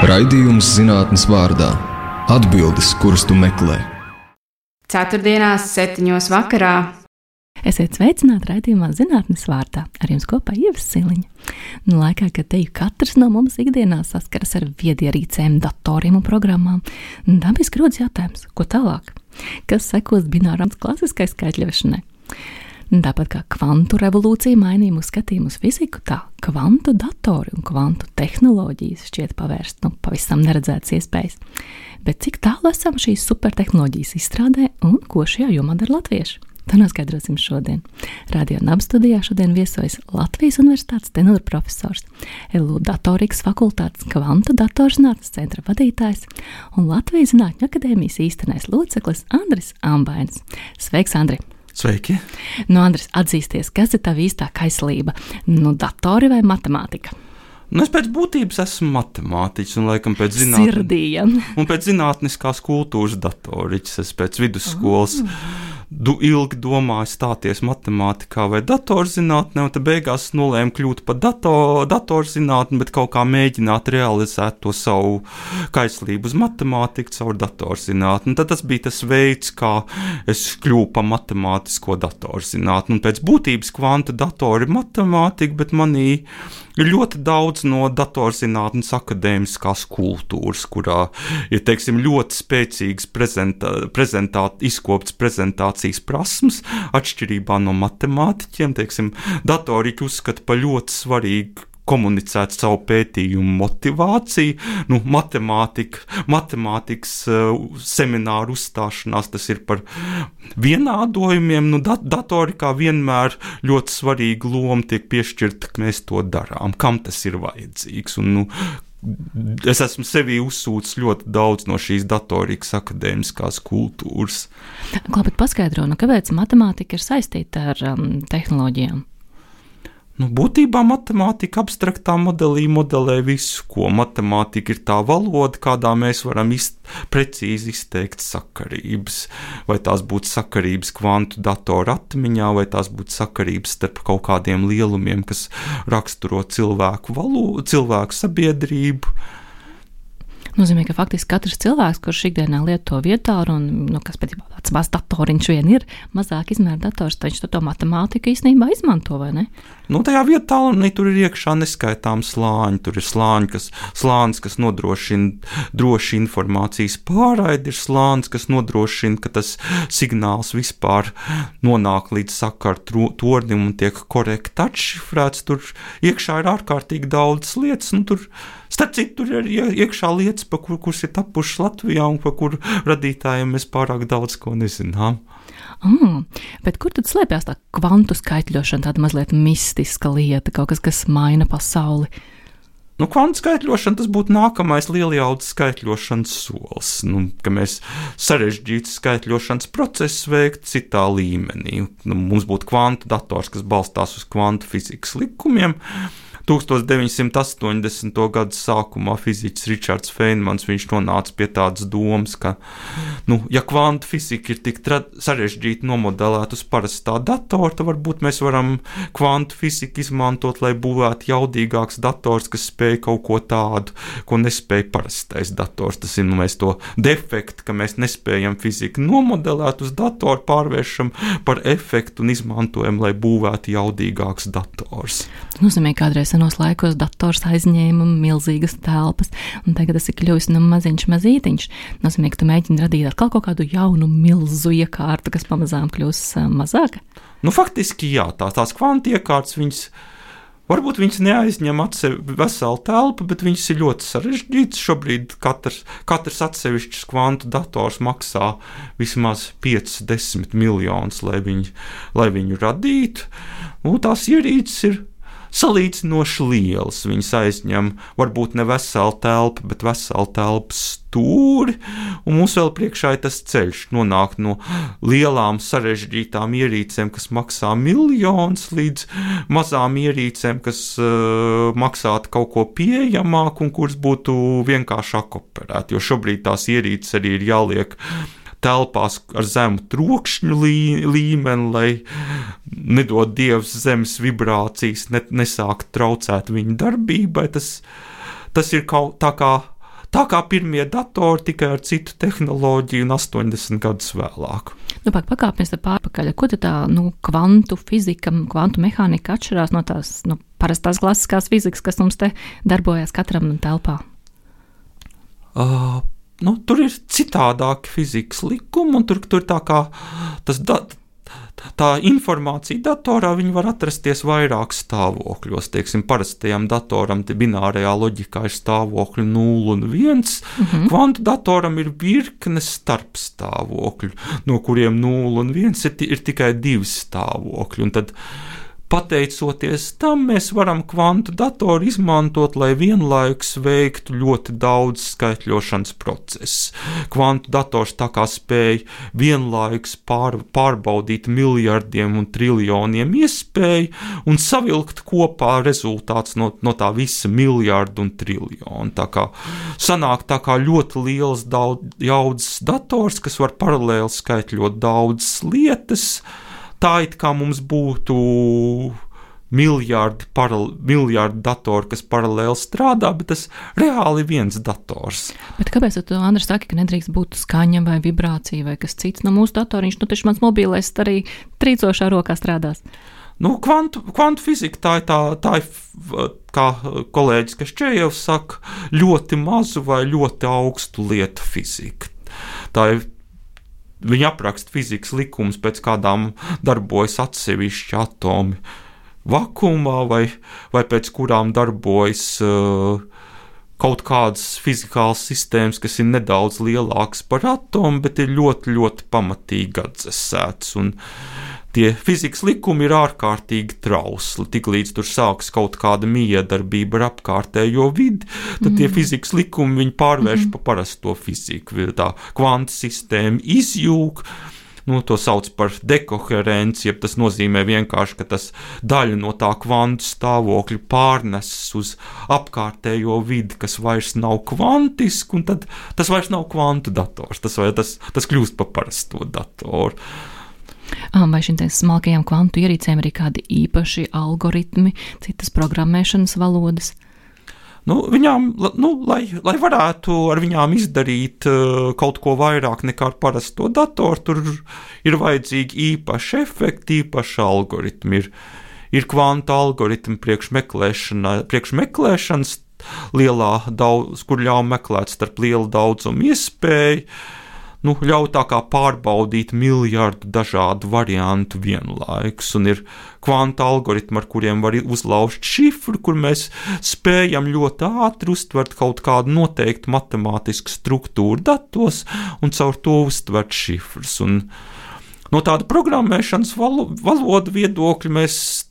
Raidījums zinātnes vārdā – atbildes, kuras tu meklē. Ceturtdienās 7:00 vakarā. Esiet sveicināti raidījumā zinātnes vārdā. Ar jums kopā Ieva Siliņa. Laikā, kad teju katrs no mums ikdienā saskaras ar viedierīcēm, datoriem un programmām, dabiski rodas jautājums, ko tālāk? Kas sekos binārām klasiskai skaitļošanai? Tāpat kā kvantu revolūcija mainīja mūsu skatījumu uz fiziku, tā kvantu datori un kvantu tehnoloģijas šķiet pavērst pavisam neredzētas iespējas. Bet cik tālu esam šīs supertehnoloģijas izstrādē un ko šajā jomā dara latvieši? To noskaidrosim šodien. Radio NAB studijā šodien viesojas Latvijas Universitātes tenora profesors, LU datorikas fakultātes kvantu datorzinātnes centra vadītājs un Latvijas Zinātņu akadēmijas īstenais loceklis Andris Ambainis. Sveiks, Andri! Sveiki! Andris, atzīsties, kas ir tava īstā kaislība? Datori vai matemātika? Es pēc būtības esmu matemātiķis un laikam pēc zinātniskās kultūras datoriķis. Es pēc vidusskolas ilgi domāju stāties matemātikā vai datorzinātnē, un tad beigās nolēmu kļūt par datorzinātni, bet kaut kā mēģināt realizēt to savu kaislību uz matemātiku caur datorzinātni. Tad tas bija tas veids, kā es kļuvu par matemātisko datorzinātni. Un pēc būtības kvantu datori ir matemātika, bet manī ir ļoti daudz no datorzinātnes akadēmiskās kultūras, kurā ir, ļoti spēcīgas izkoptas prezentācijas prasmes, atšķirībā no matemātiķiem. Datoriķi uzskata par ļoti svarīgu komunicēt savu pētījumu motivāciju. Matemātikas semināru uzstāšanās tas ir par vienādojumiem. Datorikā vienmēr ļoti svarīga loma tiek piešķirta, ka mēs to darām, kam tas ir vajadzīgs. Es esmu sevī uzsūcis ļoti daudz no šīs datorikas akadēmiskās kultūras. Bet paskaidro, kāpēc matemātika ir saistīta ar tehnoloģijām? Būtībā matemātika abstraktā modelē visu, ko matemātika ir tā valoda, kādā mēs varam precīzi izteikt sakarības. Vai tās būtu sakarības kvantu datoru atmiņā, vai tās būtu sakarības starp kaut kādiem lielumiem, kas raksturo cilvēku sabiedrību. Nozīmē, ka faktiski katrs cilvēks, kurš ikdienā lieto vietālu, kas pēc tāds mazs datoriņš vien ir, mazāk izmēra dators, tad viņš to matemātiku īstenībā izmanto, vai ne? Tajā vietālunī tur ir iekšā neskaitām slāņi. Tur ir slānis, kas nodrošina droši informācijas pārraidi, ir slānis, kas nodrošina, ka tas signāls vispār nonāk līdz sakaru tornim un tiek korekti atšifrēts. Tur iekšā ir ārkārtīgi daudz lietas, starp citu, tur ir iekšā lietas, kuras ir tapušas Latvijā un par kuru radītājiem mēs pārāk daudz ko nezinām. Bet kur tad slēpjas tā kvantu skaitļošana, tāda mazliet mistiska lieta, kaut kas, kas maina pasauli? Kvantu skaitļošana, tas būtu nākamais lielijaudas skaitļošanas solis, ka mēs sarežģītu skaitļošanas procesu veikt citā līmenī. Mums būtu kvantu dators, kas balstās uz kvantu fizikas likumiem. 1980. gadu sākumā fiziķis Ričards Feynmans nonāca pie tādas domas, ka, ja kvantu fizika ir tik sarežģīti nomodelēta uz parastā datora, tad varbūt mēs varam kvantu fiziku izmantot, lai būvētu jaudīgāks dators, kas spēj kaut ko tādu, ko nespēj parastais dators. Tas ir, mēs to defektu, ka mēs nespējam fiziku nomodelēt uz datoru, pārvēršam par efektu un izmantojam, lai būvētu jaudīgāks dators. Tas nozīmē, kādreiz senos laikos dators aizņēma milzīgas telpas, un tagad tas ir kļuvis mazītiņš. Nozīmē, ka tu mēģini radīt atkal kaut kādu jaunu milzu iekārtu, kas pamazām kļūs mazāka? Faktiski jā, tās kvantu iekārtas, varbūt viņas neaizņem veselu telpu, bet viņas ir ļoti sarežģītas. Šobrīd katrs atsevišķs kvantu dators maksā vismaz 5-10 miljonus, lai viņu radītu. Tās ierīces ir salīdzinoši lielas. Viņas aizņem varbūt ne veselu telpu, bet veselu telpas stūri, un mums vēl priekšā ir tas ceļš nonākt no lielām sarežģītām ierīcēm, kas maksā miljonus, līdz mazām ierīcēm, kas maksātu kaut ko pieejamāku un kuras būtu vienkāršāk operēt, jo šobrīd tās ierīces arī ir jāliek telpās ar zemu trokšņu līmeni, lai nedod Dievs zemes vibrācijas nesākt traucēt viņu darbībai. Tas ir kaut tā kā tā kā pirmie datori, tikai ar citu tehnoloģiju un 80 gadus vēlāk. Pakāpjamies pārpakaļ. Ko tad tā kvantu fizika, kvantu mehānika atšķirās no tās parastās klasiskās fizikas, kas mums te darbojas katram telpā? Tur ir citādāki fizikas likumi, un tur tā kā tā informācija datorā var atrasties vairāk stāvokļos. Teiksim, parastajam datoram binārajā loģikā ir stāvokļi 0 un 1. Kvantu datoram ir virkne starpstāvokļu, no kuriem 0 un 1 ir tikai 2 stāvokļi. Un tad, pateicoties tam, mēs varam kvantu datoru izmantot, lai vienlaikus veiktu ļoti daudz skaitļošanas procesus. Kvantu dators tā kā spēj vienlaikus pārbaudīt miljardiem un triljoniem iespēju un savilkt kopā rezultāts no tā visa miljardu un triljonu. Tā kā sanāk tā kā ļoti liels jaudas dators, kas var paralēli skaitļot daudzas lietas. Tā it kā mums būtu miljardi datori, kas paralēli strādā, bet tas reāli ir viens dators. Bet kāpēc tu, Andris, saki, ka nedrīkst būt skaņa vai vibrācija vai kas cits no mūsu datoriņš? Taču mans mobilais arī trīcošā rokā strādās. Kvantu fizika tā ir, kā kolēģis Kašķējevs saka, ļoti mazu vai ļoti augstu lietu fizika. Tā ir Viņa apraksta fizikas likumus, pēc kādām darbojas atsevišķi atomi vakumā, vai pēc kurām darbojas kaut kādas fizikālas sistēmas, kas ir nedaudz lielākas par atomu, bet ir ļoti, ļoti pamatīgi atdzesētas. Un tie fizikas likumi ir ārkārtīgi trausli. Tiklīdz tur sākas kaut kāda miedarbība ar apkārtējo vidi, tad tie fizikas likumi viņi pārvērš pa parasto fiziku. Tā kvantu sistēma izjūg, to sauc par dekoherenci, jeb tas nozīmē vienkārši, ka tas daļa no tā kvantu stāvokļa pārneses uz apkārtējo vidi, kas vairs nav kvantiski, un tad tas vairs nav kvantu dators, tas kļūst par parasto datoru. Vai šīm smalkajām kvantu ierīcēm ir kādi īpaši algoritmi, citas programmēšanas valodas? Viņām, lai varētu ar viņām izdarīt kaut ko vairāk nekā ar parasto datoru, tur ir vajadzīgi īpaši efekti, īpaši algoritmi. Ir kvantu algoritmi priekš meklēšanas kur ļauj meklēt starp lielu daudzumu iespēju, ļauj tā kā pārbaudīt miljardu dažādu variantu vienlaikus, un ir kvantu algoritmi, ar kuriem var uzlauzt šifru, kur mēs spējam ļoti ātri uztvert kaut kādu noteiktu matemātisku struktūru datos un caur to uztvert šifrus. Un no tāda programmēšanas valodu viedokļa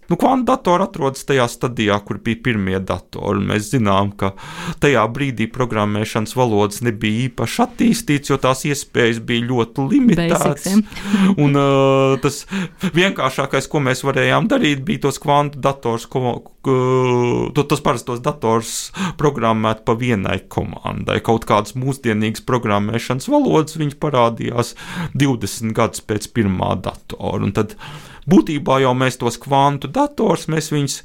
kvantu datori atrodas tajā stadijā, kur bija pirmie datori. Mēs zinām, ka tajā brīdī programmēšanas valodas nebija īpaši attīstīts, jo tās iespējas bija ļoti limitētas. Un tas vienkāršākais, ko mēs varējām darīt, bija tos kvantu dators, tos parastos dators programmēt pa vienai komandai. Kaut kādas mūsdienīgas programmēšanas valodas viņas parādījās 20 gadus pēc pirmā datora. Un tad būtībā jau mēs tos kvantu dators, mēs viņus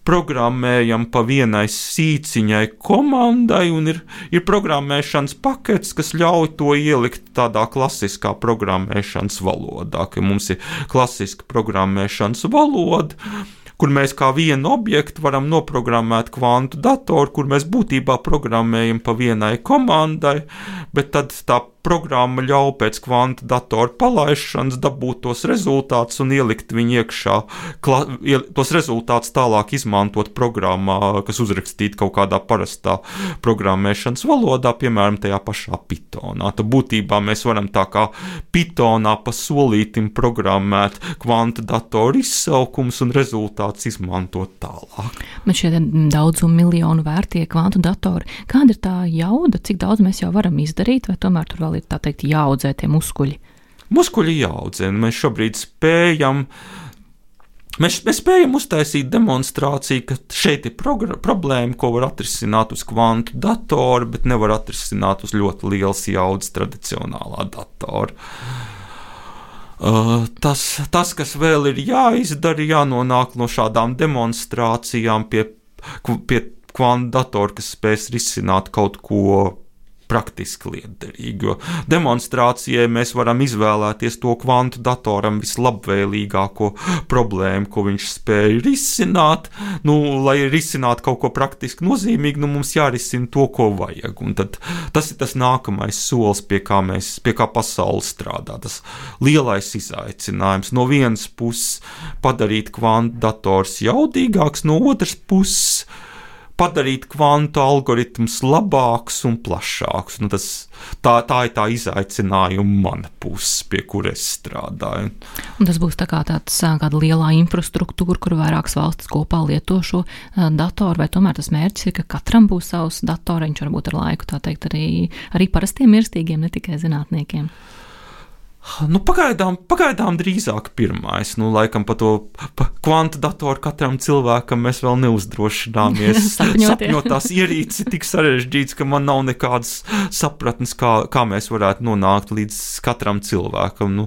programmējam pa vienai sīciņai komandai, un ir programmēšanas pakets, kas ļauj to ielikt tādā klasiskā programmēšanas valodā, ka mums ir klasiska programmēšanas valoda, kur mēs kā vienu objektu varam noprogrammēt kvantu datoru, kur mēs būtībā programmējam pa vienai komandai, bet tad tā programma ļauj pēc kvantu datoru palaišanas dabūt tos rezultātus un ielikt viņu iekšā, tos rezultātus tālāk izmantot programmā, kas uzrakstīta kaut kādā parastā programmēšanas valodā, piemēram, tajā pašā Pythonā. Tad būtībā mēs varam tā kā Pythonā pa solītim programmēt kvantu datoru izsaukums un rezultātus izmantot tālāk. Bet šie daudzumu miljonu vērtie kvantu datori, kāda ir tā jauda, cik daudz mēs jau varam izdarīt, vai tomēr tur vēl ir tā teikt jāaudzē tie muskuļi? Muskuļi jāaudzē. Mēs šobrīd spējam uztaisīt demonstrāciju, ka šeit ir problēma, ko var atrisināt uz kvantu datoru, bet nevar atrisināt uz ļoti lielas jaudas tradicionālā datora. Tas, kas vēl ir jāizdara, jānonāk no šādām demonstrācijām pie kvantu datoru, kas spēs risināt kaut ko praktiski lietderīgi, jo demonstrācijai mēs varam izvēlēties to kvantu datoram vislabvēlīgāko problēmu, ko viņš spēja risināt. Lai risinātu kaut ko praktiski nozīmīgu, mums jārisina to, ko vajag. Un tad tas ir tas nākamais solis, pie kā pasaule strādā. Tas lielais izaicinājums. No vienas puses padarīt kvantu dators jaudīgāks, no otras puses padarīt kvantu algoritmus labāks un plašāks. Tā ir tā izaicinājuma mana puse, pie kur es strādāju. Un tas būs kāda lielā infrastruktūra, kur vairākas valstis kopā lieto šo datoru, vai tomēr tas mērķis ir, ka katram būs savs datoriņš, varbūt ar laiku, tā teikt, arī parastiem mirstīgiem, ne tikai zinātniekiem. Pagaidām drīzāk pirmais. Laikam par to kvantu datoru katram cilvēkam mēs vēl neuzdrošināmies. Sapņot tās ierīces tik sarežģīts, ka man nav nekādas sapratnes, kā mēs varētu nonākt līdz katram cilvēkam.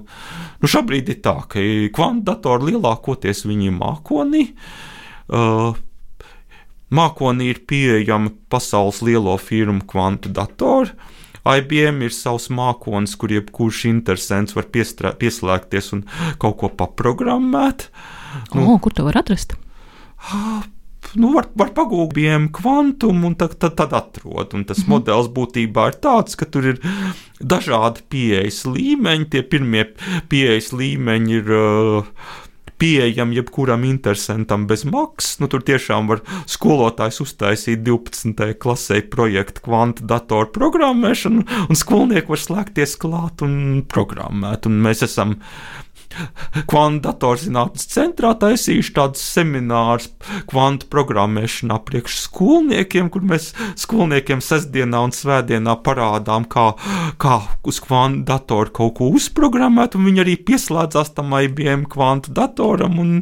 Šobrīd ir tā, ka kvantu datori lielākoties viņi ir mākonī. Mākonī ir pieejami pasaules lielo firmu kvantu datori. IBM ir savs mākonis, kur jebkurš interesants var pieslēgties un kaut ko paprogrammēt. Kur to var atrast? Var pagūt IBM kvantumu un tad atrod. Un tas modelis būtībā ir tāds, ka tur ir dažādi pieejas līmeņi. Tie pirmie pieejas līmeņi ir pieejami jebkuram interesantam bez maksas. Tur tiešām var skolotājs uztaisīt 12. klasē projektu kvantu datoru programmēšanu, un skolnieki var slēgties klāt un programmēt. Un mēs esam kvantu datorzinātnes centrā taisījuši tādus seminārus kvantu programmēšanā priekš skolniekiem, kur mēs skolniekiem sestdienā un svētdienā parādām, kā uz kvantu datoru kaut ko uzprogrammēt, un viņi arī pieslēdzās tam IBM kvantu datoram un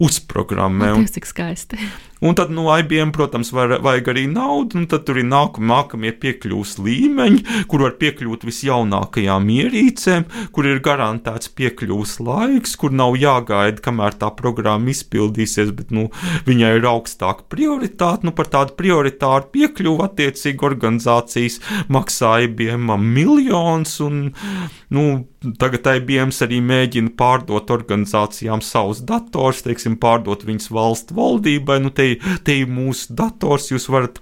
uzprogrammē. Cik skaisti. Un tad IBM, protams, vajag arī naudu, un tad tur ir nākamie piekļūs līmeņi, kur var piekļūt visjaunākajām ierīcēm, kur ir garantēts piekļūs laiks, kur nav jāgaida, kamēr tā programma izpildīsies, bet viņai ir augstāka prioritāte. Par tādu prioritāru piekļuvu attiecīgi organizācijas maksā IBM miljonus, un tagad IBM arī mēģina pārdot organizācijām savus dators, teiksim, pārdot viņas valstu valdībai. Te ir mūsu dators, jūs varat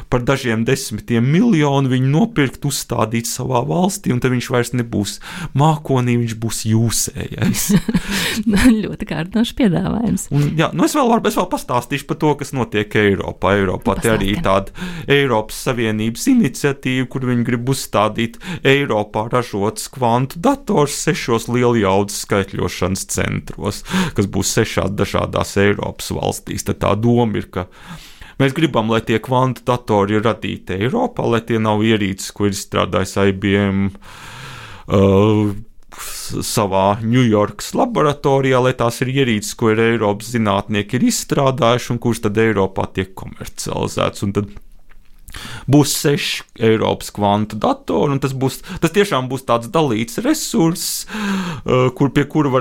par dažiem desmitiem miljonu viņu nopirkt, uzstādīt savā valstī, un tad viņš vairs nebūs mākonī, viņš būs jūsējais. Ļoti kārtinošs piedāvājums. Es vēl pastāstīšu par to, kas notiek Eiropā. Te arī ir tāda Eiropas Savienības iniciatīva, kur viņi grib uzstādīt Eiropā ražotas kvantu dators 6 lieljaudas skaitļošanas centros, kas būs 6 dažādās Eiropas valstīs. Tad tā doma ir, ka mēs gribam, lai tie kvantu datori ir radīti Eiropā, lai tie nav ierīces, ko ir izstrādājis IBM savā Ņujorkas laboratorijā, lai tās ir ierīces, ko ir Eiropas zinātnieki ir izstrādājuši un kuras tad Eiropā tiek komercializēts. Un tad būs 6 Eiropas kvantu datori, un tas tiešām būs tāds dalīts resurss, pie kura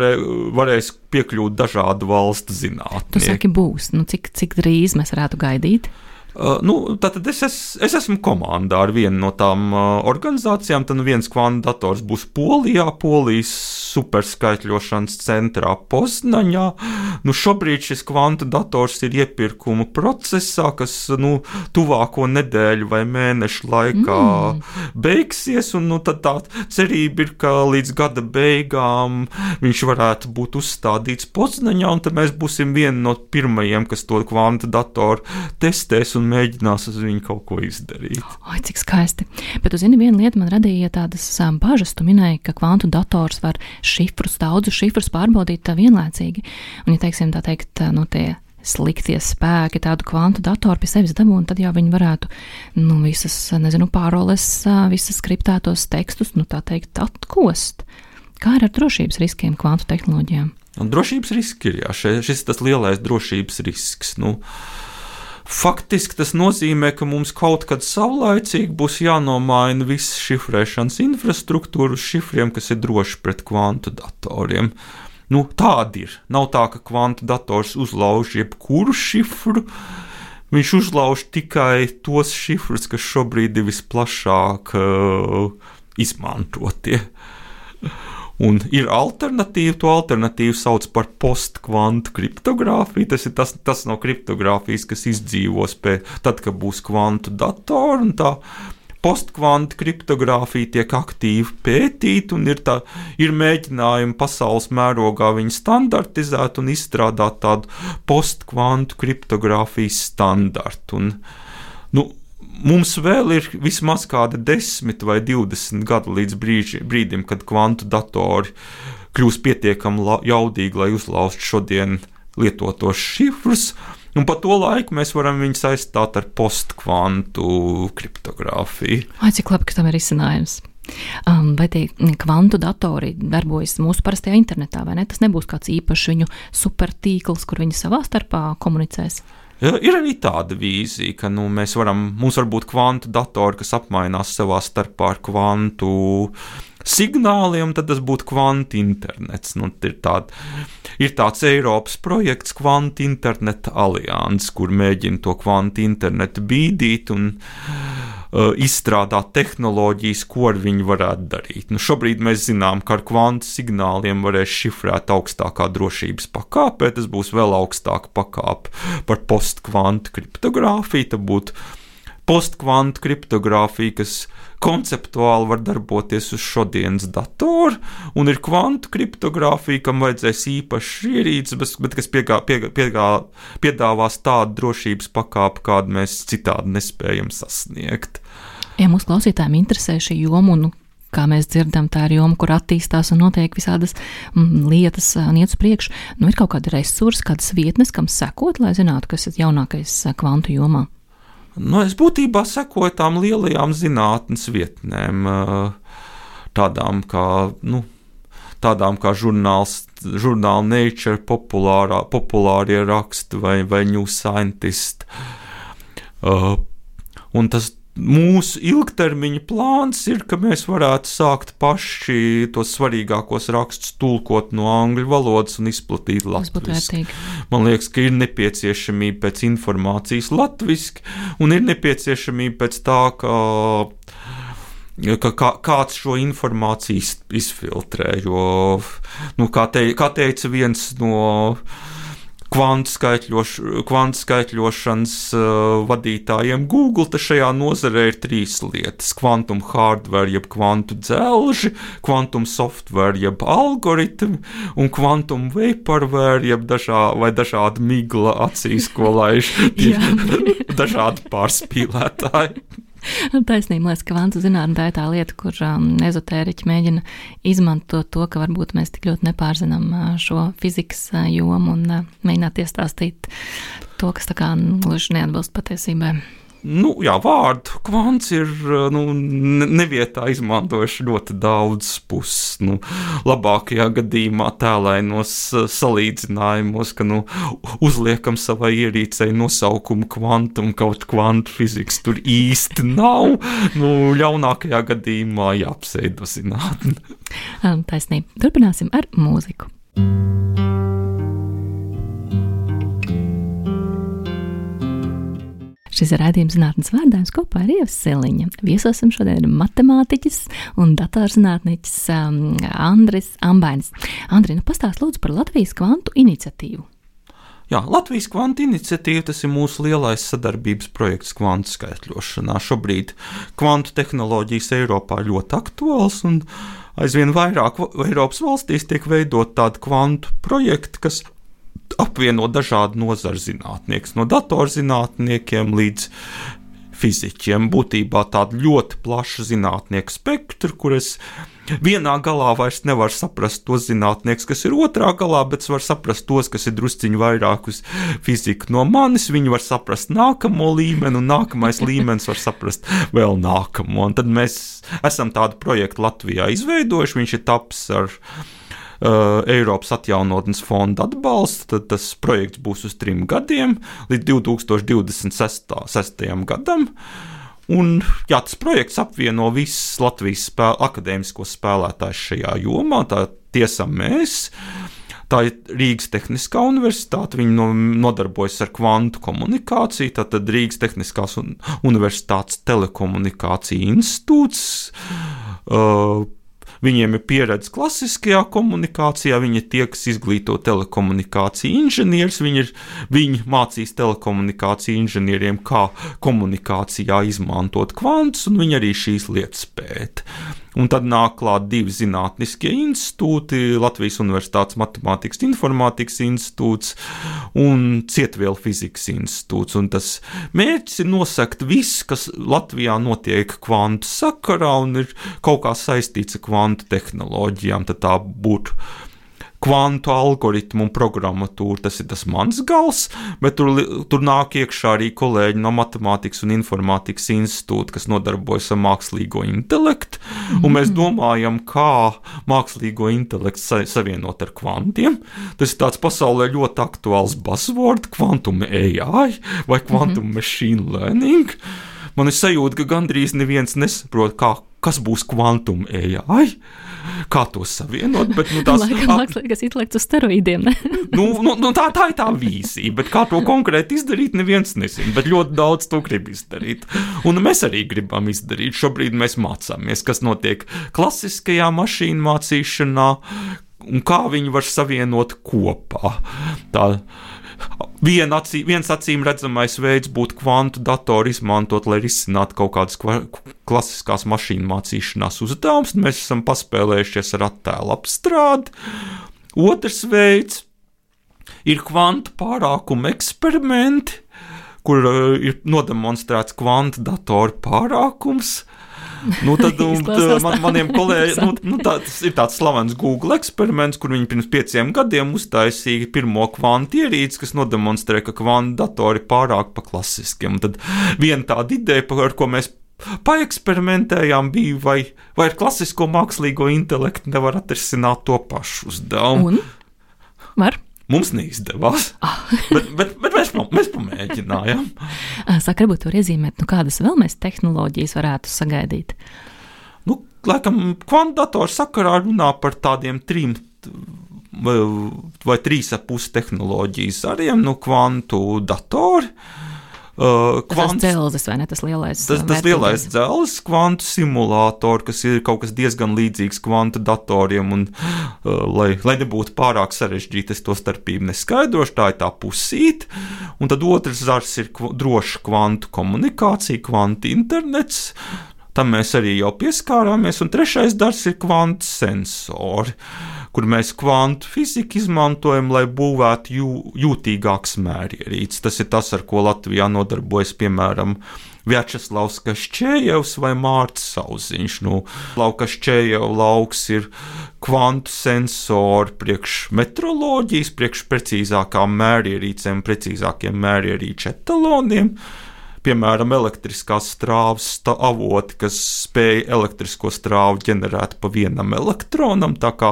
varēs piekļūt dažādu valstu zinātnieki. Tu saki būs, cik drīz mēs varētu gaidīt? Tātad es esmu komandā ar vienu no tām organizācijām. Tad viens kvantu dators būs Polijas superskaitļošanas centrā Poznaņā. Šobrīd šis kvantu dators ir iepirkuma procesā, kas tuvāko nedēļu vai mēnešu laikā beigsies, un tad tā cerība ir, ka līdz gada beigām viņš varētu būt uzstādīts Poznaņā, un tad mēs būsim vieni no pirmajiem, kas to kvantu datoru testēs un mēģinās uz viņu kaut ko izdarīt. Cik skaisti. Bet, zini, viena lieta man radīja tādas bažas. Tu minēji, ka kvantu dators var daudzus šifrus pārbaudīt vienlaicīgi. Un, ja teiksim, tā teikt, tie sliktie spēki tādu kvantu datoru pie sevis dabū, un tad jau viņi varētu, visas, pāroles, visas skriptētos tekstus, tā teikt, atkost. Kā ir ar drošības riskiem kvantu tehnoloģijām? Drošības riski ir, šis tas lielais drošības risks, Faktiski tas nozīmē, ka mums kaut kad savlaicīgi būs jānomaina visa šifrēšanas infrastruktūra uz šifriem, kas ir droši pret kvantu datoriem. Tādi ir. Nav tā, ka kvantu dators uzlauž jebkuru šifru, viņš uzlauž tikai tos šifrus, kas šobrīd ir visplašāk izmantotie. Un ir alternatīva, to alternatīvu sauc par postkvantu kriptogrāfiju. Tas ir tas no kriptogrāfijas, kas izdzīvos tad, kad būs kvantu datori, un tā postkvantu kriptogrāfija tiek aktīvi pētīta, un ir mēģinājumi pasaules mērogā viņu standartizēt un izstrādāt tādu postkvantu kriptogrāfijas standartu. Un, mums vēl ir vismaz kāda 10 vai 20 gadu līdz brīdim, kad kvantu datori kļūs pietiekami jaudīgi, lai uzlauztu šodien lietotos šifrus, un pa to laiku mēs varam viņus aizstāt ar postkvantu kriptogrāfiju. Vai cik labi, ka tam ir izcinājums? Vai tie kvantu datori darbojas mūsu parastajā internetā, vai ne? Tas nebūs kāds īpašs viņu supertīkls, kur viņi savā starpā komunicēs? Ir arī tāda vīzija, ka mums var būt kvantu datori, kas apmainās savā starpā ar kvantu signāliem, tad tas būtu kvantu internets. Ir tāds Eiropas projekts Kvantu interneta alianses, kur mēģina to kvantu internetu bīdīt un izstrādāt tehnoloģijas, ko ar viņu varētu darīt. Šobrīd mēs zinām, ka ar kvantu signāliem varēs šifrēt augstākā drošības pakāpē, tas būs vēl augstāka pakāpe par postkvantu kriptogrāfiju, tad būtu postkvantu kriptogrāfija, kas konceptuāli var darboties uz šodienas datoru, un ir kvantu kriptogrāfija, kam vajadzēs īpašs ierīces, bet kas piedāvās tādu drošības pakāpi, kādu mēs citādi nespējam sasniegt. Ja mūsu klausītājiem interesē šī joma, un kā mēs dzirdam, tā ir joma, kur attīstās un notiek visādas lietas un iet uz priekšu, ir kaut kādi resursi, kādas vietnes, kam sekot, lai zinātu, kas ir jaunākais kvantu jomā? Es būtībā sekoju tām lielajām zinātnes vietnēm, tādām kā žurnāla Nature, populārie raksti vai New Scientist. Un tas mūsu ilgtermiņa plāns ir, ka mēs varētu sākt paši tos svarīgākos rakstus tulkot no angļu valodas un izplatīt latviski. Man liekas, ka ir nepieciešamība pēc informācijas latviski, un ir nepieciešamība pēc tā, ka kāds šo informāciju izfiltrē, jo, kā teica viens no kvantu skaitļošanas vadītājiem Google, tad šajā nozarē ir 3 lietas: kvantum hardware, jeb kvantu dzelži, kvantum software, jeb algoritmi, un kvantum vaporware, jeb dažādi migla acīs, ko laiž dažādi pārspīlētāji. Taisnība, liekas, ka kvantu zinātne tā ir tā lieta, kur ezotēriķi mēģina izmantot to, ka varbūt mēs tik ļoti nepārzinām šo fizikas jomu un mēģināt iestāstīt to, kas tā kā gluži neatbilst patiesībai. Vārdu kvants ir nevietā izmantojuši ļoti daudz puses. Labākajā gadījumā tēlainos salīdzinājumos, ka uzliekam savai ierīcei nosaukumu kvantum, kaut kvantu fizikas tur īsti nav. Ļaunākajā gadījumā jāapseido zinātni. Taisnība. Turpināsim ar mūziku. Šis ir raidījums Zinātnes vārdā, kopā ar Ievu Siliņu. Viesosim šodien matemātiķis un datorzinātniķis Andris Ambainis. Andri, pastāst lūdzu par Latvijas kvantu iniciatīvu. Jā, Latvijas kvantu iniciatīva, tas ir mūsu lielais sadarbības projekts kvantu skaitļošanā. Šobrīd kvantu tehnoloģijas Eiropā ļoti aktuāls, un aizvien vairāk Eiropas valstīs tiek veidot tādi kvantu projekti, kas apvieno dažādu nozaru zinātniekus, no datorzinātniekiem līdz fiziķiem. Būtībā tādu ļoti plašu zinātnieku spektru, kur es vienā galā vairs nevaru saprast tos zinātniekus, kas ir otrā galā, bet es varu saprast tos, kas ir drusciņi vairāk uz fiziku no manis. Viņi var saprast nākamo līmeni, un nākamais līmenis var saprast vēl nākamo. Un tad mēs esam tādu projektu Latvijā izveidojuši. Viņš ir tapis ar Eiropas atjaunotnes fonda atbalsts. Tad tas projekts būs uz 3 gadiem, līdz 2026. gadam. Un, tas projekts apvieno visus Latvijas akadēmiskos spēlētājus šajā jomā. Tā tiesam mēs. Tā ir Rīgas Tehniskā universitāte, viņi nodarbojas ar kvantu komunikāciju, tātad Rīgas Tehniskās universitātes telekomunikācija institūts. Viņiem ir pieredze klasiskajā komunikācijā, viņi tie, kas izglīto telekomunikāciju inženierus, viņi mācīs telekomunikāciju inženieriem, kā komunikācijā izmantot kvantus, un viņi arī šīs lietas pēta. Un tad nāk klāt 2 zinātniskie institūti, Latvijas Universitātes Matemātikas informātikas institūts un Cietvielu fizikas institūts. Un tas mērķis ir nosakt viss, kas Latvijā notiek kvantu sakarā un ir kaut kā saistīts ar kvantu tehnoloģijām, tad tā būtu kvantu algoritmu un programmatūru, tas ir tas mans gals, bet tur nāk iekšā arī kolēģi no Matemātikas un informātikas institūta, kas nodarbojas ar mākslīgo intelektu, un mēs domājam, kā mākslīgo intelektu savienot ar kvantiem. Tas ir tāds pasaulē ļoti aktuāls buzzword, quantum AI vai quantum machine learning. Man ir sajūta, ka gandrīz neviens nesaprot, kas būs quantum AI, kā to savienot, bet tās mākslīgais intelekts uz steroīdiem, ne? Tā ir tā vīzija, bet kā to konkrēti izdarīt, neviens nezina, bet ļoti daudz to grib izdarīt. Un mēs arī gribam izdarīt. Šobrīd mēs mācāmies, kas notiek klasiskajā mašīnu mācīšanā un kā viņi var savienot kopā. Viens acīm redzamais veids būtu kvantu datoru izmantot, lai risinātu kaut kādas klasiskās mašīnu mācīšanās uzdevumus. Mēs esam paspēlējušies ar attēlu apstrādi. Otrs veids ir kvantu pārākuma eksperimenti, kur ir nodemonstrēts kvantu datoru pārākums. Tad maniem kolēģiem tas ir tāds slavens Google eksperiments, kur viņi pirms 5 gadiem uztaisīja pirmo kvantu ierīci, kas nodemonstrē, ka kvantu datori pārāk pa klasiskiem. Un tad viena tāda ideja, ar ko mēs paeksperimentējām, bija, vai ar klasisko mākslīgo intelektu nevar atrisināt to pašu uzdevumu. Un? Var? Mums neizdevās, bet mēs pamēģinājām. Saka, varbūt var iezīmēt, kādas vēl mēs tehnoloģijas varētu sagaidīt? Laikam, kvantu datoru sakarā runā par tādiem 3 vai 3,5 tehnoloģijas zariem, kvantu datori. Tas dzelzis, vai ne? Tas lielais dzelzis, kvantu simulātori, kas ir kaut kas diezgan līdzīgs kvantu datoriem, un lai nebūtu pārāk sarežģīti, es to starpību neskaidrošu, tā ir tā pusīte. Un tad otrs zars ir droša kvantu komunikācija, kvantu internets. Tam mēs arī jau pieskārāmies, un trešais dars ir kvantu sensori, kur mēs kvantu fiziku izmantojam, lai būvētu jūtīgāks mērierīces. Tas ir tas, ar ko Latvijā nodarbojas, piemēram, Vjačeslavs Kašķējevs vai Mārts Sauziņš. Kašķējeva lauks ir kvantu sensori priekš metroloģijas, priekš precīzākām mērierīcēm, precīzākiem mērierīču etaloniem. Piemēram, elektriskās strāvas avoti, kas spēj elektrisko strāvu ģenerēt pa vienam elektronam, tā kā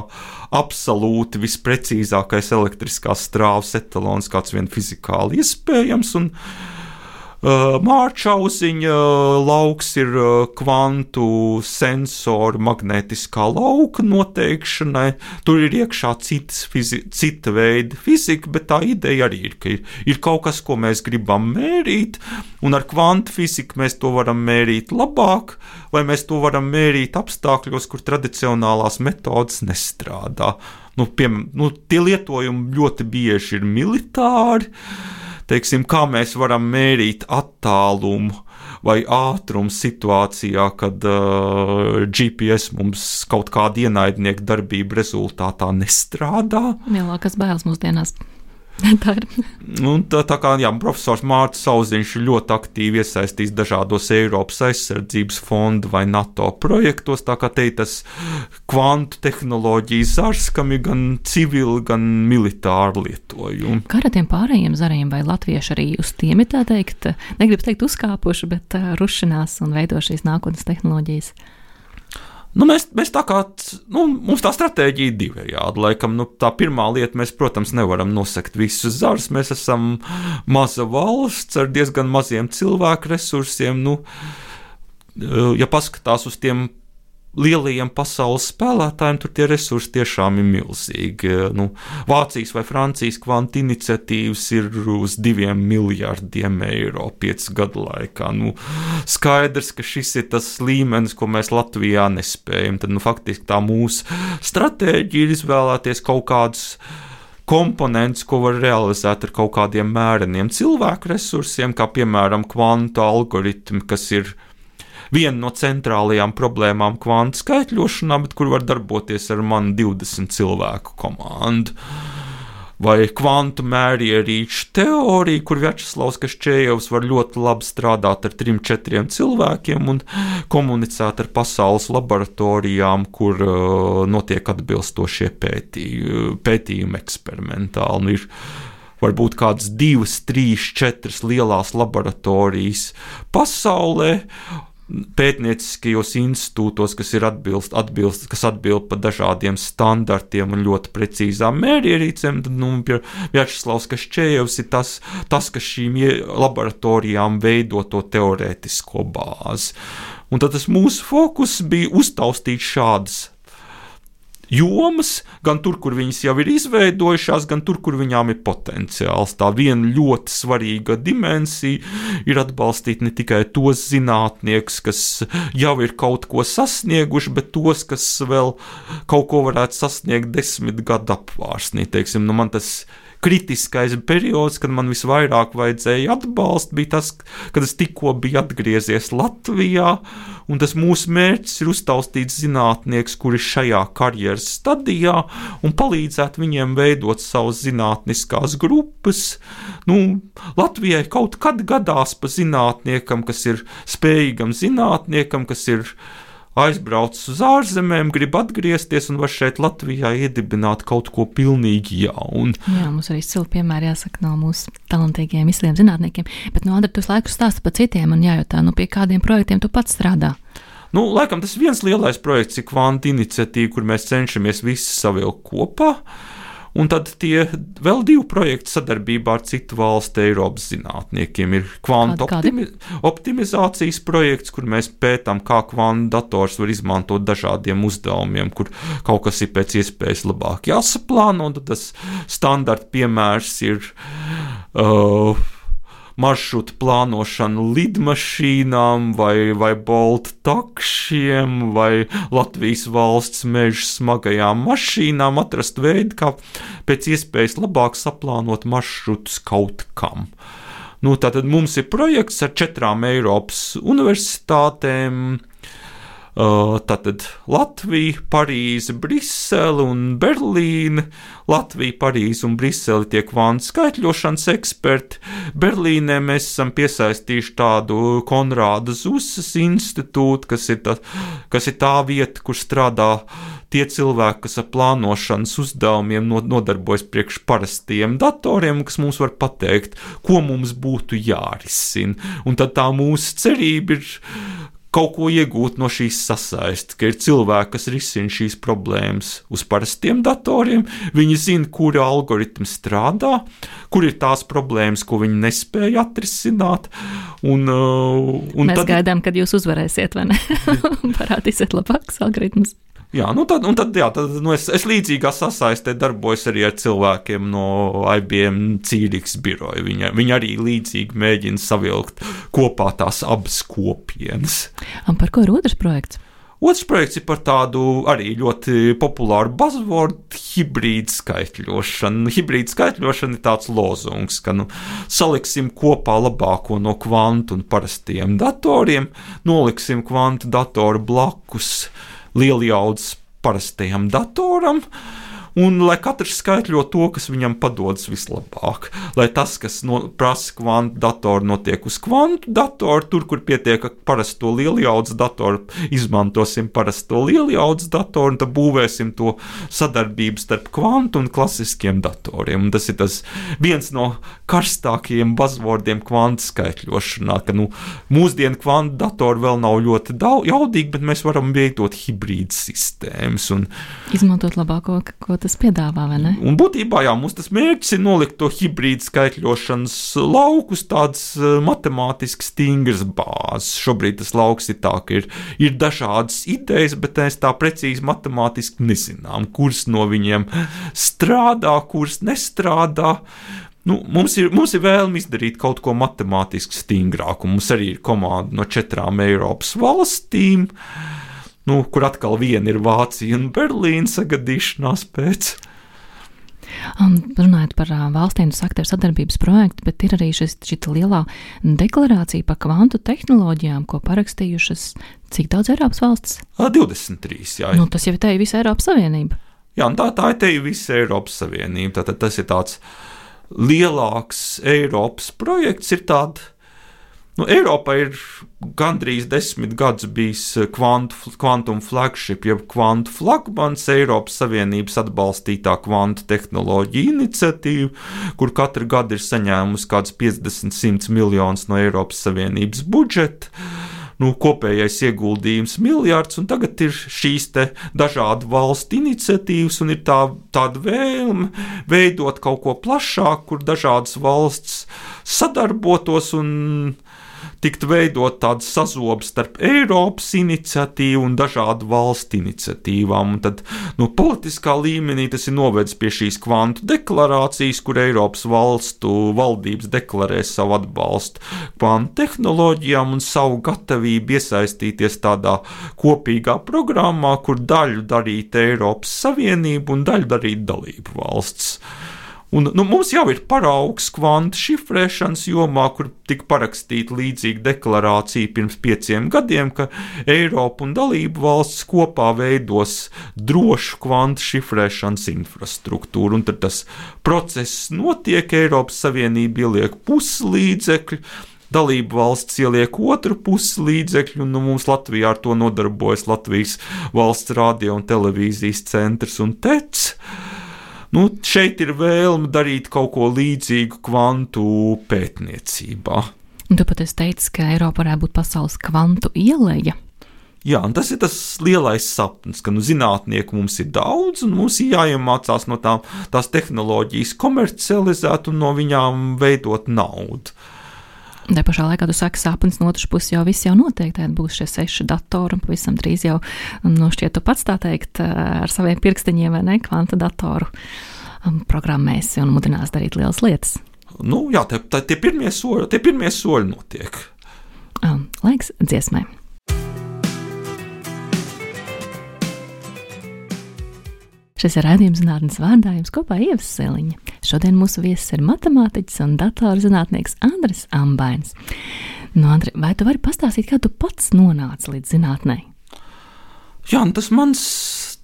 absolūti visprecīzākais elektriskās strāvas etalons, kāds vien fizikāli iespējams, un Mārčauziņa lauks ir kvantu sensoru magnētiskā lauka noteikšanai. Tur ir iekšā cita veida fizika, bet tā ideja arī ir, ka ir kaut kas, ko mēs gribam mērīt, un ar kvantu fiziku mēs to varam mērīt labāk, vai mēs to varam mērīt apstākļos, kur tradicionālās metodas nestrādā. Tie lietojumi ļoti bieži ir militāri. Teiksim, kā mēs varam mērīt attālumu vai ātrumu situācijā, kad GPS mums kaut kāda ienaidnieka darbība rezultātā nestrādā. Lielākas bailes mūsdienās. Tā ir. Tā kā profesors Mārts Sauziņš ir ļoti aktīvi iesaistīts dažādos Eiropas aizsardzības fondu vai NATO projektos, tā kā te ir tas kvantu tehnoloģijas zars, kam ir gan civili, gan militāri lietojumi. Kā ar tiem pārējiem zariem, vai latvieši arī uz tiem ir tā teikt, negribu teikt uzkāpuši, bet rušinās un veido šīs nākotnes tehnoloģijas? Mēs tā kā, mums tā stratēģija ir divējāda. Laikam, tā pirmā lieta, mēs, protams, nevaram nosegt visus zarus. Mēs esam maza valsts ar diezgan maziem cilvēku resursiem. Ja paskatās uz tiem lielajiem pasaules spēlētājiem tur tie resursi tiešām ir milzīgi. Vācijas vai Francijas kvantu iniciatīvas ir uz 2 miljardiem eiro 5 gadu laikā. Skaidrs, ka šis ir tas līmenis, ko mēs Latvijā nespējam. Tad faktiski tā mūsu stratēģija ir izvēlēties kaut kādus komponents, ko var realizēt ar kaut kādiem mēreniem cilvēku resursiem, kā piemēram kvantu algoritmi, kas ir viena no centrālajām problēmām kvantu skaitļošanā, bet kur var darboties ar manu 20 cilvēku komandu. Vai kvantu mērierīču teorija, kur Vjačeslavs Kaščējevs var ļoti labi strādāt ar 3-4 cilvēkiem un komunicēt ar pasaules laboratorijām, kur notiek atbilstošie pētījumi eksperimentāli. Ir varbūt kādas 2, 3, 4 lielās laboratorijas pasaulē, pētnieciskajos institūtos, kas ir kas atbild par dažādiem standartiem un ļoti precīzām mērierīcēm, tad Vjačeslavs Kaščējevs ir tas, kas šīm laboratorijām veido to teorētisko bāzi. Un tad tas mūsu fokus bija uztaustīt šādas jomas, gan tur, kur viņas jau ir izveidojušās, gan tur, kur viņām ir potenciāls. Tā viena ļoti svarīga dimensija ir atbalstīt ne tikai tos zinātniekus, kas jau ir kaut ko sasnieguši, bet tos, kas vēl kaut ko varētu sasniegt 10 gadu apvārsnī. Teiksim, man tas kritiskais periods, kad man visvairāk vajadzēja atbalstu, bija tas, kad es tikko biju atgriezies Latvijā, un tas mūsu mērķis ir uztaustīt zinātniekus, kuri šajā karjeras stadijā, un palīdzēt viņiem veidot savas zinātniskās grupas. Latvijai kaut kad gadās pa zinātniekam, kas ir spējīgam zinātniekam, kas ir aizbraucis uz ārzemēm, grib atgriezties un var šeit Latvijā iedibināt kaut ko pilnīgi jaunu. Jā, mums arī izcili piemēri jāsaka no mūsu talantīgiem izciliem zinātniekiem, bet Andri, tu laiku stāsti par citiem un jājautā, pie kādiem projektiem tu pats strādā? Laikam tas viens lielais projekts ir kvantu iniciatīva, kur mēs cenšamies visi savilkt kopā. Un tad tie vēl 2 projekti sadarbībā ar citu valstu Eiropas zinātniekiem ir kvantu optimizācijas projekts, kur mēs pētām, kā kvantu dators var izmantot dažādiem uzdevumiem, kur kaut kas ir pēc iespējas labāk jāsaplāno. Un tad tas standarta piemērs ir maršrutu plānošana lidmašīnām vai bolta takšiem vai Latvijas valsts meža smagajām mašīnām, atrast veidu, kā pēc iespējas labāk saplānot maršrutus kaut kam. Tātad mums ir projekts ar 4 Eiropas universitātēm, tātad Latvija, Parīze, Brisele un Berlīne. Latvija, Parīze un Brisele tie kvantu skaitļošanas eksperti. Berlīnē mēs esam piesaistījuši tādu Konrāda Zusas institūtu, kas ir tā vieta, kur strādā tie cilvēki, kas ar plānošanas uzdevumiem nodarbojas priekš parastiem datoriem, kas mums var pateikt, ko mums būtu jārisina. Un tad tā mūsu cerība ir kaut ko iegūt no šīs sasaistes, ka ir cilvēki, kas risina šīs problēmas uz parastiem datoriem, viņi zina, kuri algoritmi strādā, kur ir tās problēmas, ko viņi nespēja atrisināt. Mēs gaidām, kad jūs uzvarēsiet, vai ne? Parādīsiet labākus algoritmus. Jā, tad es līdzīgā sasaistē darbojos arī ar cilvēkiem no IBM Cīriks biroja. Viņi arī līdzīgi mēģina savilkt kopā tās abas kopienas. Un par ko ir otrs projekts? Otrs projekts ir par tādu arī ļoti populāru buzzword hibrīdu skaitļošanu. Hibrīdu skaitļošana ir tāds lozungs, ka saliksim kopā labāko no kvantu un parastiem datoriem, noliksim kvantu datoru blakus lieljaudas parastajam datoram, un lai katrs skaitļo to, kas viņam padodas vislabāk. Lai tas, kas prasa kvantu datoru, notiek uz kvantu datoru, tur, kur pietiek parasto lieljaudas datoru, izmantosim parasto lieljaudas datoru, un tad būvēsim to sadarbību starp kvantu un klasiskiem datoriem. Un tas ir viens no karstākajiem buzzwordiem kvantu skaitļošanā, ka mūsdienu kvantu datori vēl nav ļoti jaudīgi, bet mēs varam veidot hibrīdu sistēmas. Un izmantot labāko, ko tas tas piedāvā, vai ne? Un būtībā, jā, mums tas mērķis ir nolikt to hibrīdu skaitļošanas laukus, tāds matemātiski stingrs bāzes. Šobrīd tas lauks ir tā, ka ir dažādas idejas, bet mēs tā precīzi matemātiski nezinām, kuras no viņiem strādā, kuras nestrādā. Mums ir vēlme izdarīt kaut ko matemātiski stingrāku. Mums arī ir komanda no 4 Eiropas valstīm, kur atkal viena ir Vācija un Berlīna sagadīšanās pēc. Runājot par valstīm, jūs sakāt, ir sadarbības projekti, bet ir arī šī lielā deklarācija par kvantu tehnoloģijām, ko parakstījušas cik daudz Eiropas valstis? 23, jā. Tas jau ir te visa Eiropas Savienība. Jā, un tā ir te visa Eiropas Savienība. Tātad tas ir tāds lielāks Eiropas projekts, ir tāda. Eiropā ir gandrīz 10 gadus bijis Quantum Flagship, jeb kvantu flagmans, Eiropas Savienības atbalstītā kvantu tehnoloģija iniciatīva, kur katru gadu ir saņēmusi kāds 50-100 miljonus no Eiropas Savienības budžeta. Kopējais ieguldījums miljards, un tagad ir šīs te dažādu valstu iniciatīvas, un ir tāda vēlme veidot kaut ko plašāku, kur dažādas valsts sadarbotos un tikt veidot tādu sazobu starp Eiropas iniciatīvu un dažādu valstu iniciatīvām. Un tad politiskā līmenī tas ir novedis pie šīs kvantu deklarācijas, kur Eiropas valstu valdības deklarē savu atbalstu kvantu tehnoloģijām un savu gatavību iesaistīties tādā kopīgā programmā, kur daļu darīt Eiropas Savienību un daļu darīt dalību valsts. Un, mums jau ir paraugs kvantu šifrēšanas jomā, kur tika parakstīta līdzīga deklarācija pirms 5 gadiem, ka Eiropa un dalību valsts kopā veidos drošu kvantu šifrēšanas infrastruktūru. Un tad tas process notiek, Eiropas Savienība ieliek pusi līdzekļu, dalību valsts ieliek otru pusi līdzekļu, un mums Latvijā ar to nodarbojas Latvijas valsts radio un televīzijas centrs un TEC. Šeit ir vēlme darīt kaut ko līdzīgu kvantu pētniecībā. Un tu pat esi teicis, ka Eiropa varētu būt pasaules kvantu ieleja. Jā, un tas ir tas lielais sapnis, ka zinātnieku mums ir daudz, un mums ir jāiemācās no tās tehnoloģijas komercializēt un no viņām veidot naudu. Tā pašā laikā tu saki, sapnis no otras puses jau viss jau notiek, tad būs šie 6 datori, un pavisam drīz jau, šķiet, tu pats tā teikt, ar saviem pirksteņiem vai ne, kvanta datoru programmēsi un mudinās darīt lielas lietas. Jā, tie pirmie soļi notiek. Laiks dziesmai. Šis ir raidījums Zinātnes vārdā, jums kopā Ieva Siliņa. Šodien mūsu viesis ir matemātiķis un datorzinātnieks Andris Ambainis. Andri, vai tu vari pastāstīt, kā tu pats nonāci līdz zinātnei? Jā, tas mans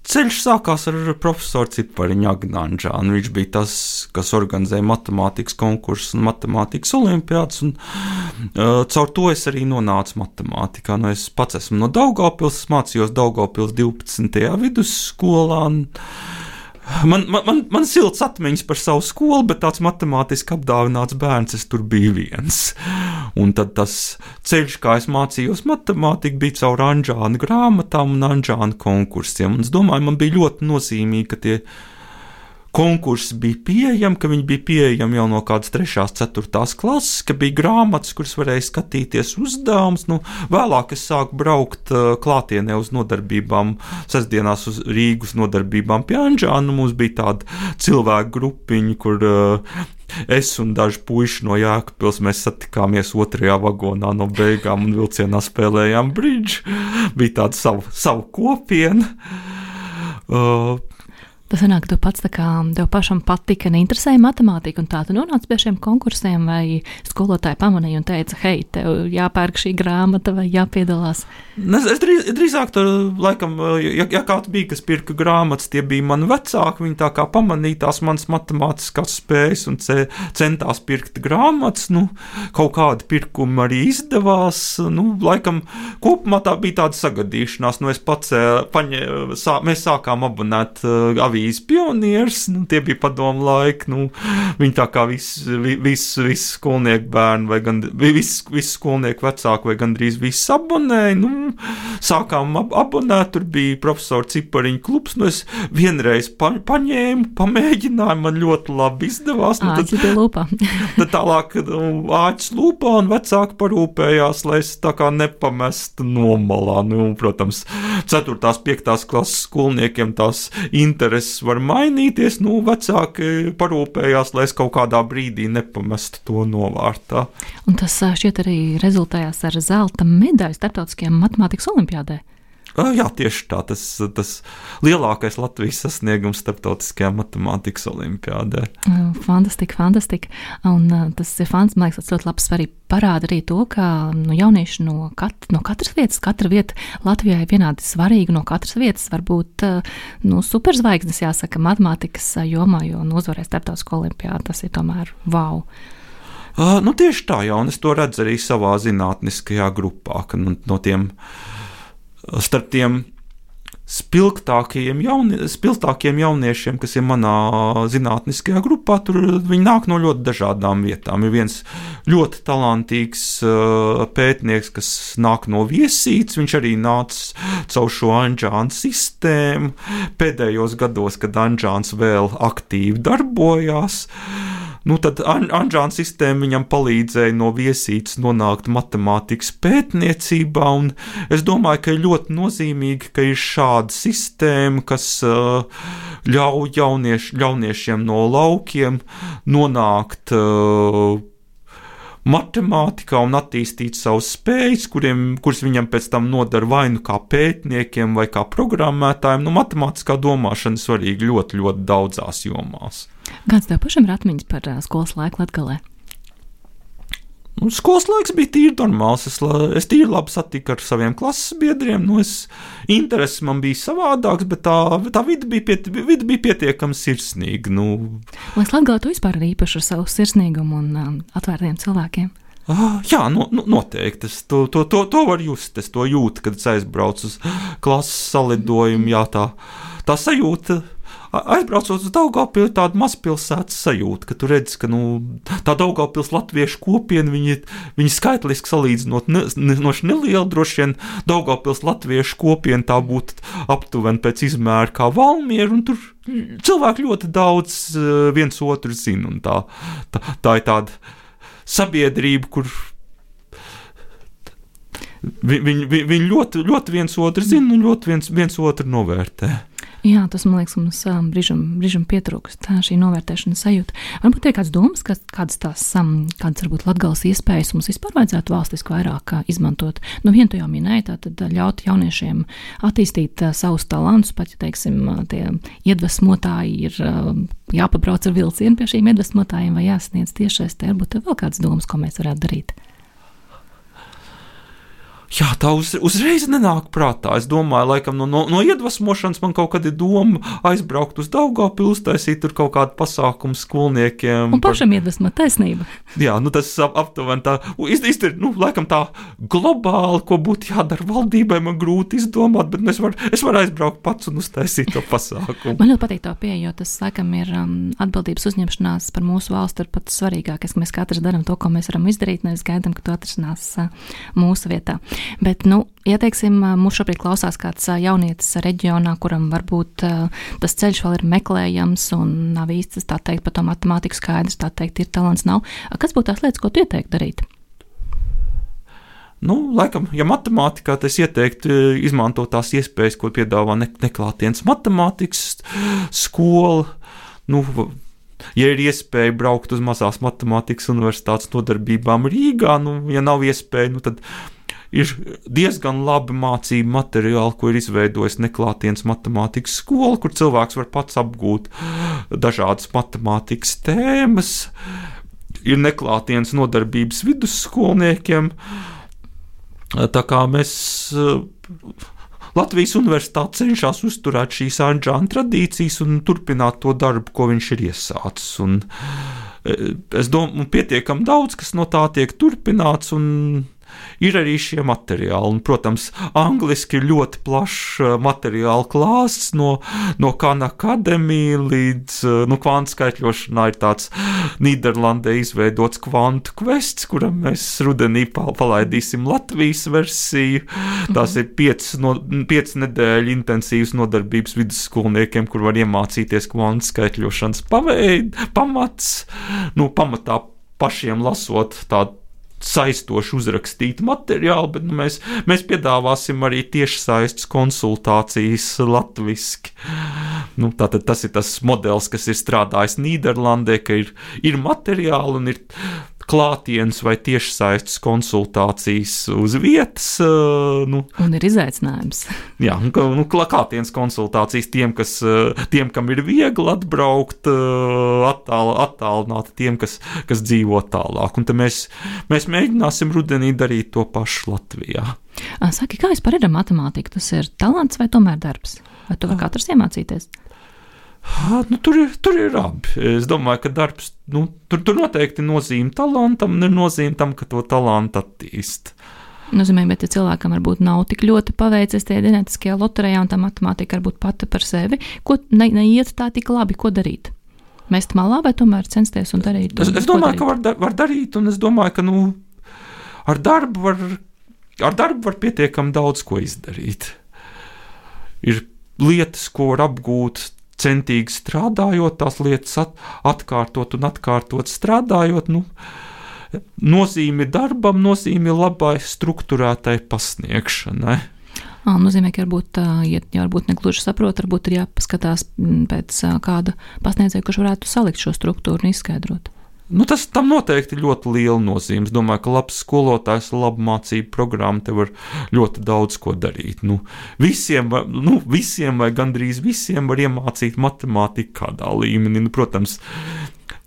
ceļš sākās ar profesoru Cipariņu Agnanžānu. Viņš bija tas, kas organizēja matemātikas konkursus un matemātikas olimpiādas, un caur to es arī nonācu matemātikā. Es pats esmu no Daugavpils, mācījos Daugavpils 12. vidusskolā. Man silts atmiņas par savu skolu, bet tāds matemātiski apdāvināts bērns es tur biju viens. Un tad tas ceļš, kā es mācījos matemātiku, bija caur Anžāna grāmatām un Anžāna konkursiem. Un es domāju, man bija ļoti nozīmīgi, ka tie konkursi bija pieejami, ka viņi bija pieejami jau no kādas 3. 4. klases, ka bija grāmatas, kuras varēja skatīties uzdevumus. Vēlāk es sāku braukt klātienē uz nodarbībām, sestdienās uz Rīgas nodarbībām pie Anžāna. Mums bija tāda cilvēku grupiņa, kur es un daži puiši no Jēkabpils mēs satikāmies 2. vagonā no beigām un vilcienā spēlējām bridžu. Bija tāda savu kopiena. Tas sanāk, ka tu pats tā kā tev pašam patika un interesēja matemātika, un tā tu nonāci pie šiem konkursiem, vai skolotāji pamanīja un teica, hei, tev jāpērk šī grāmata vai jāpiedalās? Es drīzāk tur, laikam, ja kāds bija, kas pirka grāmatas, tie bija mani vecāki, viņi tā kā pamanīja tās manas matemātiskās spējas un centās pirkt grāmatas, kaut kādi pirkumi arī izdevās, laikam, kopumā tā bija tāda sagadīšanās, mēs sākām abonēt avīzes pionieris, tie bija padomu laiki, viņi tā kā visi skolnieku bērni, vai gan visi skolnieku vecāki, vai gandrīz visi abonēja, sākām abonēt, tur bija profesora Cipariņa klubs, es vienreiz paņēmu, pamēģināju, man ļoti labi izdevās. Āķis pie lūpā. Tad tālāk āķis lūpā un vecāki parūpējās, lai es tā kā nepamestu nomalā. Protams, 4. 5. klases skolniekiem tās intereses var mainīties, vecāki parūpējās, lai es kaut kādā brīdī nepamestu to novārtā. Un tas šķiet arī rezultējās ar zelta medaļu starptautiskajām matemātikas olimpiādē. Jā, tieši tā, tas lielākais Latvijas sasniegums starptautiskajā matemātikas olimpiādē. Fantastika. Un tas ir fantastiski, man liekas, tas ļoti labs arī parāda arī to, ka jaunieši no katras vietas, katra vieta Latvijā ir vienādi svarīga, no katras vietas var būt superzvaigznes, jāsaka, matemātikas jomā, jo uzvarēs starptautisko olimpiādu, tas ir tomēr wow. Tieši tā, jā, un es to redzu arī savā zinātniskajā grupā, ka starp tiem spilgtākiem jauniešiem, kas ir manā zinātniskajā grupā, tur viņi nāk no ļoti dažādām vietām. Ir viens ļoti talantīgs pētnieks, kas nāk no Viesītes, viņš arī nāca caur šo Anžāna sistēmu pēdējos gados, kad Anžāns vēl aktīvi darbojās. Tad Anžāna sistēma viņam palīdzēja no Viesītes nonākt matemātikas pētniecībā, un es domāju, ka ir ļoti nozīmīgi, ka ir šāda sistēma, kas ļauj jauniešiem no laukiem nonākt matemātikā un attīstīt savas spējas, kuras viņam pēc tam nodara vai kā pētniekiem vai kā programmētājiem. Matemātiskā domāšana svarīga ļoti, ļoti daudzās jomās. Kāds tev pašam ir atmiņas par skolas laiku Latgalē? Skolas laiks bija tīri normāls. Es tīri labi satiku ar saviem klases biedriem. Intereses man bija savādāks, bet tā vide bija pietiekami sirsnīga. Vai Latgalē tu vispār ir īpaši ar savu sirsnīgumu un atvērtiem cilvēkiem? Jā, noteikti. To var just. Es to jūtu, kad es aizbraucu uz klases salidojumu. Jā, tā sajūta. Aizbraucot uz Daugavpili, tāda mazpilsētas sajūta, ka tu redzi, ka tā Daugavpils latviešu kopiena, viņi skaitliski salīdzinot neliela, droši vien Daugavpils latviešu kopiena tā būtu aptuveni pēc izmēra kā Valmiera, un tur cilvēki ļoti daudz viens otru zina, un tā ir tāda sabiedrība, kur viņi ļoti, ļoti viens otru zina un ļoti viens otru novērtē. Jā, tas, man liekas, mums brīžam pietrūkst šī novērtēšanas sajūta. Varbūt ir kāds domas, kādas varbūt Latgales iespējas mums vispār vajadzētu valstiski vairāk izmantot. Vienu tu jau minēji, tātad ļaut jauniešiem attīstīt savus talantus, pat, ja, teiksim, tie iedvesmotāji ir jāpabrauc ar vilcienu pie šīm iedvesmotājiem vai jāsniedz tiešais, varbūt tev vēl kādas domas, ko mēs varētu darīt. Jā, tā uzreiz nenāk prātā. Es domāju, laikam no iedvesmošanas man kaut kad ir doma aizbraukt uz Daugavpili, uztaisīt tur kaut kādu pasākumu skolniekiem. Un pašam iedvesmot taisnība. Jā, tas aptuveni tā, laikam tā globāli, ko būtu jādara valdībai, man grūti izdomāt, bet es varu aizbraukt pats un uztaisīt to pasākumu. Man ļoti patīk tā pieeja, jo tas, laikam, ir atbildības uzņemšanās par mūsu valsti ir pats svarīgākais, ka mēs katrs darām to, ko mēs varam izdarīt, nevis gaidām, ka to atrisinās mūsu vietā. Bet, ja teiksim, mūs šobrīd klausās kāds jaunietis reģionā, kuram varbūt tas ceļš vēl ir meklējams un nav īsti, tā teikt, par to matemātiku skaidrs, tā teikt, ir talants nav. Kas būtu tās lietas, ko tu ieteiktu darīt? Laikam, ja matemātikā, tad es ieteiktu izmantot tās iespējas, ko piedāvā neklātienes matemātikas skola. Ja ir iespēja braukt uz mazās matemātikas universitātes nodarbībām Rīgā, ja nav iespēja, tad ir diezgan labi mācību materiāli, ko ir izveidojis neklātienes matemātikas skola, kur cilvēks var pats apgūt dažādas matemātikas tēmas. Ir neklātienes nodarbības vidusskolniekiem. Tā kā mēs Latvijas universitāte cenšas uzturēt šīs Anžāna tradīcijas un turpināt to darbu, ko viņš ir iesācis. Un es domāju, pietiekami daudz, kas no tā tiek turpināts, un ir arī šie materiāli. Un, protams, angliski ir ļoti plašs materiālu klāsts no Khan Academy līdz kvantu skaitļošanā ir tāds Nīderlandē izveidots kvantu kvests, kuram mēs rudenī palaidīsim Latvijas versiju. Tās ir 5 nedēļu intensīvas nodarbības vidusskolniekiem, kur var iemācīties kvantu skaitļošanas pamats. Pamatā pašiem lasot tādu saistoši uzrakstītu materiālu, bet mēs piedāvāsim arī tiešsaistes konsultācijas latviski. Tātad tas ir tas modelis, kas ir strādājis Nīderlandē, ka ir materiāli un ir klātienes vai tiešsaistes konsultācijas uz vietas. Un ir izaicinājums. Jā, klātienes konsultācijas tiem, kam ir viegli atbraukt, attālināt tiem, kas dzīvo tālāk. Un tad mēs mēģināsim rudenī darīt to pašu Latvijā. Saki, kā vispār ir ar matemātiku? Tas ir talants vai tomēr darbs? Vai tu var katrs iemācīties? Tur ir abi. Es domāju, ka darbs, tur noteikti nozīme talantam, un ir nozīme tam, ka to talantu attīst. Nozīmē, bet ja cilvēkam varbūt nav tik ļoti paveicies tie ģenētiskajā loterijā, un tā matemātika varbūt pati par sevi, ko neiet tā tik labi, ko darīt? Mest malā vai tomēr censties un darīt? Es domāju, ka var darīt, un es domāju, ka ar darbu var pietiekami daudz ko izdarīt. Ir lietas, ko var apgūt centīgi strādājot, tās lietas atkārtot un atkārtot strādājot. Nozīme darbam, nozīme labai strukturētai pasniegšanai. Nozīmē, ka varbūt negluži saprot, varbūt ir jāpaskatās pēc kāda pasniedzēja, kurš varētu salikt šo struktūru un izskaidrot. Tam noteikti ļoti liela nozīme. Es domāju, ka labs skolotājs, laba mācību programma te var ļoti daudz ko darīt. Visiem vai gandrīz visiem var iemācīt matemātiku kādā līmenī. Protams,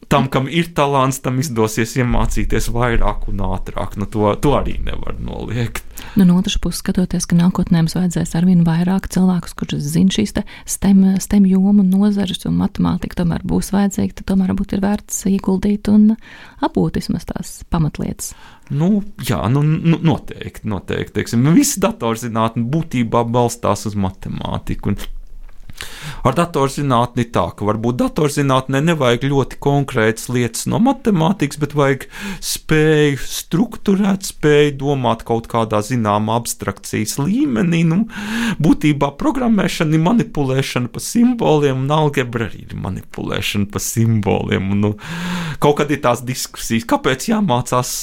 tam, kam ir talants, tam izdosies iemācīties vairāk un ātrāk. To arī nevar noliegt. No otras puses, skatoties, ka nākotnē mums vajadzēs arvien vairāk cilvēkus, kurš zina šīs STEM jomu nozares un matemātika tomēr būs vajadzīga, tad tomēr varbūt ir vērts ieguldīt un apgūt vismaz tās pamatlietas. Noteikti. Teiksim, visi datorzinātne būtībā balstās uz matemātiku. Ar datorzinātni tā, ka varbūt datorzinātnē nevajag ļoti konkrētas lietas no matemātikas, bet vajag spēju strukturēt, spēju domāt kaut kādā zināmā abstrakcijas līmenī. Būtībā programmēšana ir manipulēšana pa simboliem, un algebra arī ir manipulēšana pa simboliem. Kaut kad ir tās diskusijas, kāpēc jāmācās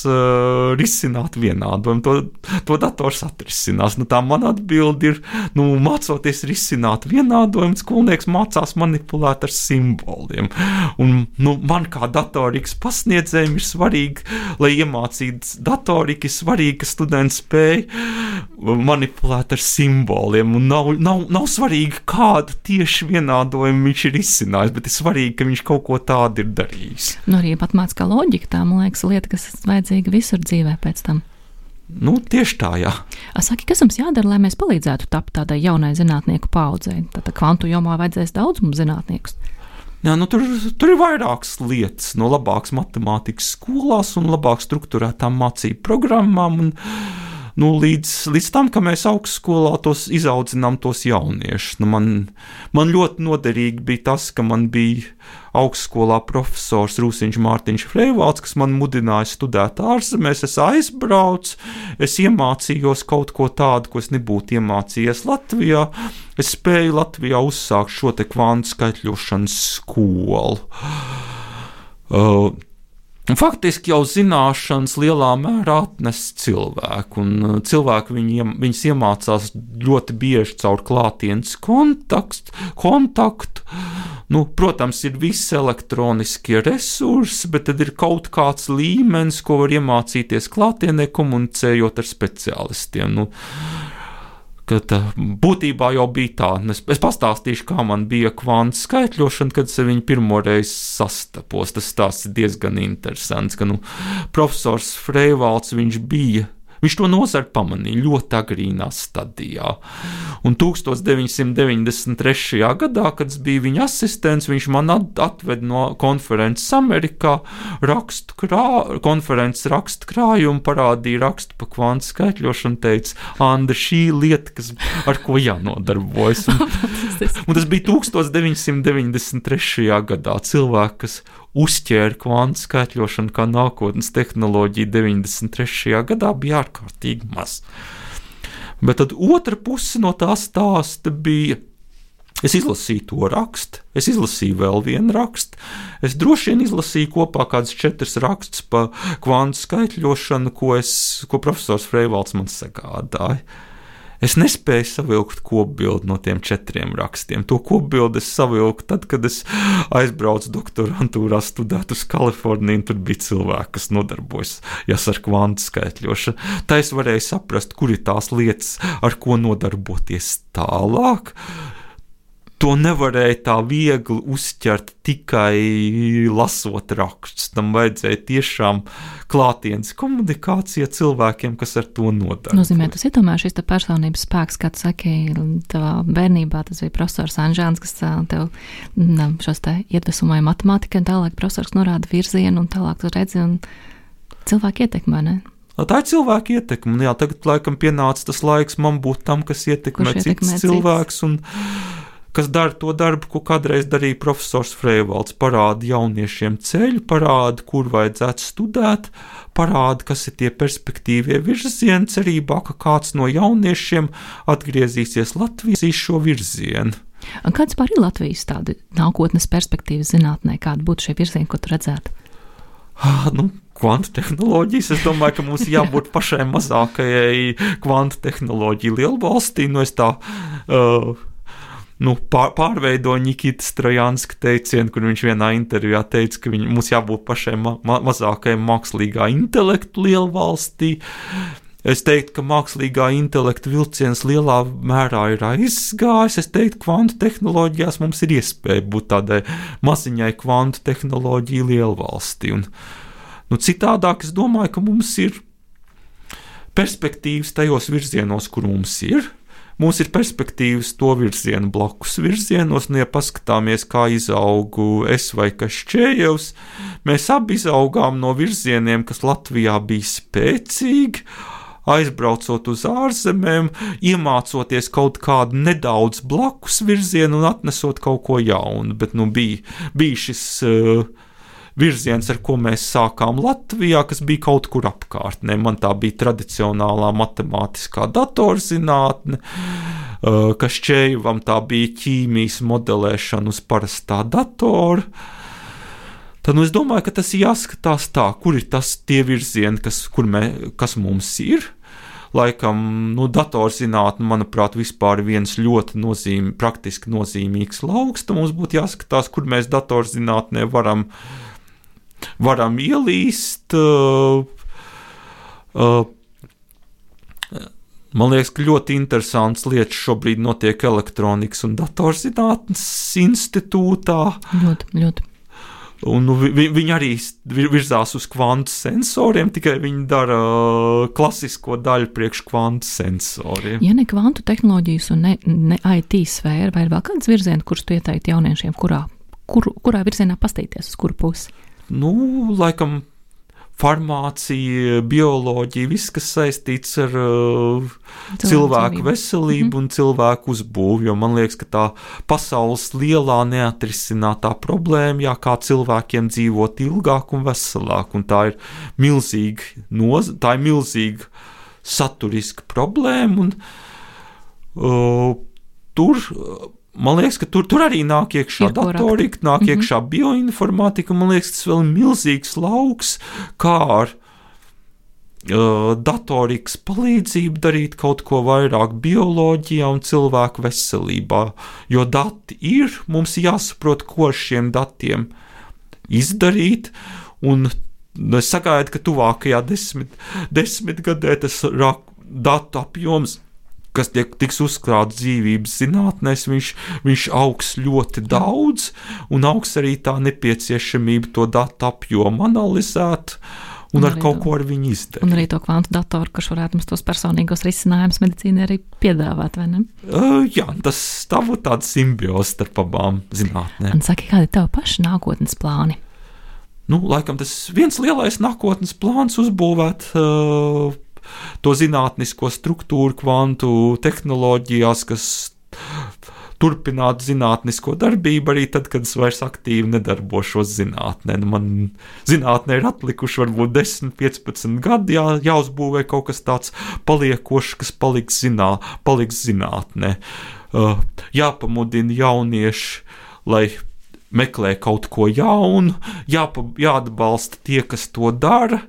risināt vienādojumu. To dators atrisinās. Tā man atbildi ir, mācoties risināt vienādojumu, skolnieks mācās manipulēt ar simboliem. Un, man kā datorikas pasniedzējiem ir svarīgi, lai iemācītu datoriku, ir svarīgi, ka students spēj manipulēt ar simboliem. Un nav svarīgi, kādu tieši vienādojumu viņš ir izcinājis, bet ir svarīgi, ka viņš kaut ko tādu ir darījis. Arī matemātiskā loģika, tā, man liekas, lieta, kas vajadzīga visur dzīvē pēc tam. Tieši tā, jā. Saki, kas mums jādara, lai mēs palīdzētu tapt tādai jaunai zinātnieku paudzei? Tātad kvantu jomā vajadzēs daudz mums zinātniekus. Jā, tur ir vairākas lietas, no labākas matemātikas skolās un labāk strukturētām mācību programmām un līdz tam, ka mēs augstskolā izaudzinām tos jauniešus. Man ļoti noderīgi bija tas, ka man bija augstskolā profesors Rūsiņš Mārtiņš Freivalds, kas man mudināja studēt ārzemēs. Es aizbraucu, es iemācījos kaut ko tādu, ko es nebūtu iemācījies Latvijā. Es spēju Latvijā uzsākt šo te kvantu skaitļošanas skolu. Faktiski jau zināšanas lielā mērā atnes cilvēku, un cilvēki viņas iemācās ļoti bieži caur klātienes kontaktu. Protams, ir visi elektroniskie resursi, bet tad ir kaut kāds līmenis, ko var iemācīties klātienē, komunicējot ar speciālistiem. Būtībā jau bija tā. Es pastāstīšu, kā man bija kvantu skaitļošana, kad es viņu pirmoreiz sastapos. Tas ir diezgan interesants, ka profesors Freivalds, viņš bija Viņš to nozari pamanīja ļoti agrīnā stadijā. Un 1993. gadā, kad es biju viņa asistents, viņš man atved no konferences Amerikā konferences rakstu krājumu, parādīja rakstu pa kvantu skaitļošanu, teica, Anda, šī lieta, ar ko jānodarbojas. Un tas bija 1993. gadā. Cilvēki, kas uzķēra kvantu skaitļošanu kā nākotnes tehnoloģiju 93. gadā, bija ārkārtīgi maz. Bet tad otra puse no tā stāsta bija, es izlasīju to rakstu, es izlasīju vēl vienu rakstu, es droši vien izlasīju kopā kādus 4 rakstus pa kvantu skaitļošanu, ko profesors Freivalds man sagādāja. Es nespēju savilkt kopbildi no tiem 4 rakstiem. To kopbildi es savilku tad, kad es aizbraucu doktorantūrā studēt uz Kaliforniju, un tur bija cilvēki, kas nodarbojas ar kvantu skaitļošanu. Tā es varēju saprast, kur ir tās lietas, ar ko nodarboties tālāk. To nevarēja tā viegli uzķert tikai lasot rakstus. Tam vajadzēja tiešām klātienes komunikācija cilvēkiem, kas ar to nodarbojas. Nozīmē, tas ir tomēr šis personības spēks, kā tu saki, tavā bērnībā tas bija profesors Anžāns, kas tev šos te iedvesmoja matemātikai, un tālāk profesors norāda virzienu, un tālāk tu redzi, un cilvēki ietekmē, ne? Tā ir cilvēka ietekme, un jā, tagad laikam pienāca tas laiks man būt tam, kas ietekmē cits cilvēks, un kas dara to darbu, ko kādreiz darīja profesors Freivalds, parāda jauniešiem ceļu, parāda, kur vajadzētu studēt, parāda, kas ir tie perspektīvie virzieni, cerībā, ka kāds no jauniešiem atgriezīsies Latvijas šo virzienu. Un kāds pār ir Latvijas tāda nākotnes perspektīvas zinātnē, kāda būtu šie virzieni, ko tu redzētu? Kvantu tehnoloģijas, es domāju, ka mums jābūt pašai mazākajai kvantu tehnoloģiju lielvalstī, es tā... pārveidoja Nikitas Trojanska teicienu, kur viņš vienā intervijā teica, ka mums jābūt pašai mazākajai mākslīgā intelektu lielvalstī. Es teiktu, ka mākslīgā intelekta vilciens lielā mērā ir aizgājis. Es teiktu, ka kvantu tehnoloģijās mums ir iespēja būt tādai maziņai kvantu tehnoloģiju lielvalstī. Un, citādāk es domāju, ka mums ir perspektīvas tajos virzienos, kur mums ir. Mums ir perspektīvas to virzienu blakus virzienos, ja paskatāmies, kā izaugu es vai Kašķējevs, mēs abi izaugām no virzieniem, kas Latvijā bija spēcīgi, aizbraucot uz ārzemēm, iemācoties kaut kādu nedaudz blakus virzienu un atnesot kaut ko jaunu, bet bija šis... virziens, ar ko mēs sākām Latvijā, kas bija kaut kur apkārtnē. Man tā bija tradicionālā matemātiskā datorzinātne, Kašķējevam tā bija ķīmijas modelēšana uz parastā datora. Tad es domāju, ka tas ir jāskatās tā, kur ir tie virzieni, kas mums ir. Laikam, datorzinātne, manuprāt, vispār ir viens ļoti praktiski nozīmīgs lauks. Tad mums būtu jāskatās, kur mēs datorzinātnē varam ielīst. Man liekas, ka ļoti interesants lietas šobrīd notiek elektronikas un datorzinātnes institūtā. Ļoti. Un viņi arī virzās uz kvantu sensoriem, tikai viņi dara klasisko daļu priekš kvantu sensoriem. Ja ne kvantu tehnoloģijas un ne IT sfēra, vai ir vēl kāds virziens, kurš tu ieteiktu jauniešiem, kurā virzienā pastīties, uz kuru pusi? Laikam farmācija, bioloģija, viss, kas saistīts ar cilvēku veselību un cilvēku uzbūvi, jo man liekas, ka tā pasaules lielā neatrisinātā problēma, kā cilvēkiem dzīvot ilgāk un veselāk, un tā ir milzīga saturiska problēma, un man liekas, ka tur arī nāk iekšā datorika, nāk iekšā bioinformatika, un man liekas, tas vēl ir milzīgs lauks, kā ar datorikas palīdzību darīt kaut ko vairāk bioloģijā un cilvēku veselībā, jo dati ir, mums jāsaprot, ko ar šiem datiem izdarīt, un es sagaidu, ka tuvākajā desmitgadē tas datu apjoms, kas tiks uzkrāts dzīvības zinātnēs, viņš augs ļoti daudz, un augs arī tā nepieciešamība to datu apjomu analizēt, un ar kaut ko ar viņu izdarīt. Un arī to kvantu datoru, kurš varētu mums tos personīgos risinājumus medicīnai arī piedāvāt, vai ne? Jā, tas tā būtu tāda simbioze starp abām zinātnēm. Un saki, kādi ir tavi paši nākotnes plāni? Laikam tas viens lielais nākotnes plāns uzbūvēt to zinātnisko struktūru kvantu tehnoloģijās, kas turpinātu zinātnisko darbību arī tad, kad es vairs aktīvi nedarbošos zinātnē. Man zinātnē ir atlikuši varbūt 10, 15 gadi, jāuzbūvē kaut kas tāds paliekošs, kas paliks zinātnē. Jāpamudina jaunieši, lai meklē kaut ko jaunu, jāatbalsta tie, kas to dara.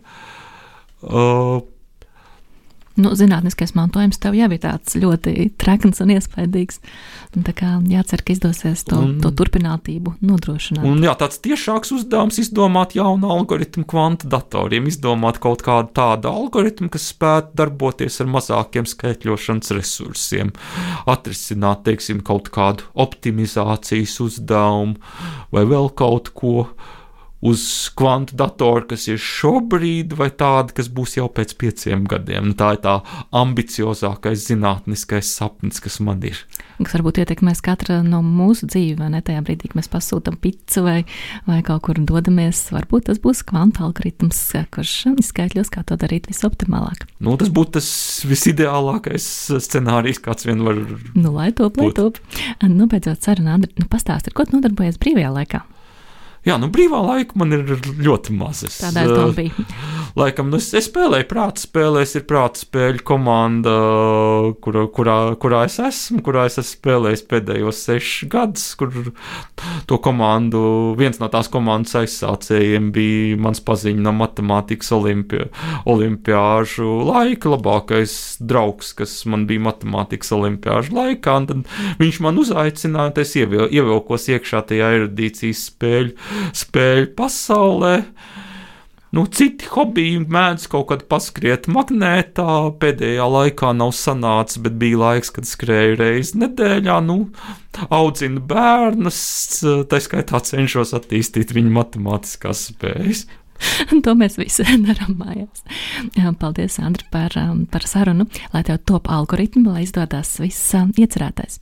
Zinātniskais mantojums tev jau ir tāds ļoti trekns un iespaidīgs. Tā kā jācer, ka izdosies to turpinātību nodrošināt. Un tāds tiešāks uzdevums izdomāt jaunu algoritmu kvantu datoriem, izdomāt kaut kādu tādu algoritmu, kas spētu darboties ar mazākiem skaitļošanas resursiem, atrisināt, teiksim, kaut kādu optimizācijas uzdevumu vai vēl kaut ko uz kvantu datoru, kas ir šobrīd, vai tāda, kas būs jau pēc 5 gadiem. Tā ir tā ambiciozākais zinātniskais sapnis, kas man ir. Kas varbūt ietekmēs katra no mūsu dzīvi, vai ne? Tajā brīdī, kad mēs pasūtam picu vai kaut kur dodamies, varbūt tas būs kvantu algoritms, kurš izskaitļos, kā to darīt visoptimālāk. Tas būtu tas visideālākais scenārijs, kāds vien var lai top. Beidzot, saruna, Andri, pastāsti, ar ko tu nodarbojies brīvajā laikā? Jā, brīvā laika man ir ļoti maz. Tādēļ tā bija. Laikam, es spēlēju prāta spēlēs, ir prāta spēļu komanda, kurā es esmu spēlējis pēdējos 6 gadus, kur to komandu, viens no tās komandas aizsācējiem bija mans paziņa no matemātikas olimpiāžu laika, labākais draugs, kas man bija matemātikas olimpiāžu laikā, un tad viņš man uzaicināja, es ievilkos iekšā tajā erudīcijas spēļu pasaulē. Citi hobiji mēdz kaut kad paskriet magnētā, pēdējā laikā nav sanācis, bet bija laiks, kad skrēju reizi nedēļā, audzinu bērnus, tā skaitā cenšos attīstīt viņu matemātiskās spējas. To mēs visi darām mājās. Paldies, Andri, par sarunu, lai tev top algoritmi, lai izdodas viss iecerētais.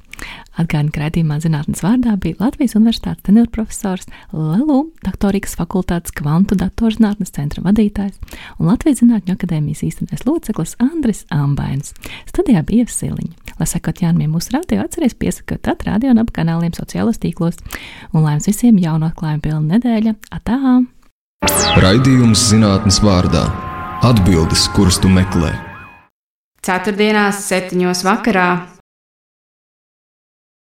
Atgādinu, ka raidījumā Zinātnes vārdā bija Latvijas Universitātes tenurprofesors, LELU Doktorīgas fakultātes kvantu datorzinātnes centra vadītājs un Latvijas Zinātņu akadēmijas īstenais loceklis Andris Ambainis. Studijā bija Ieva Siliņa. Lai sekot jaunumiem mūsu radio, atceries piesakot radio un ap kanāliem sociālos tīklos. Un lai jums visiem jaunu atklājumu pilna nedēļa. Atā! Raidījums Zinātnes vārdā. Atbildes, kuras tu meklē. Ceturtdienās 7:00 vakarā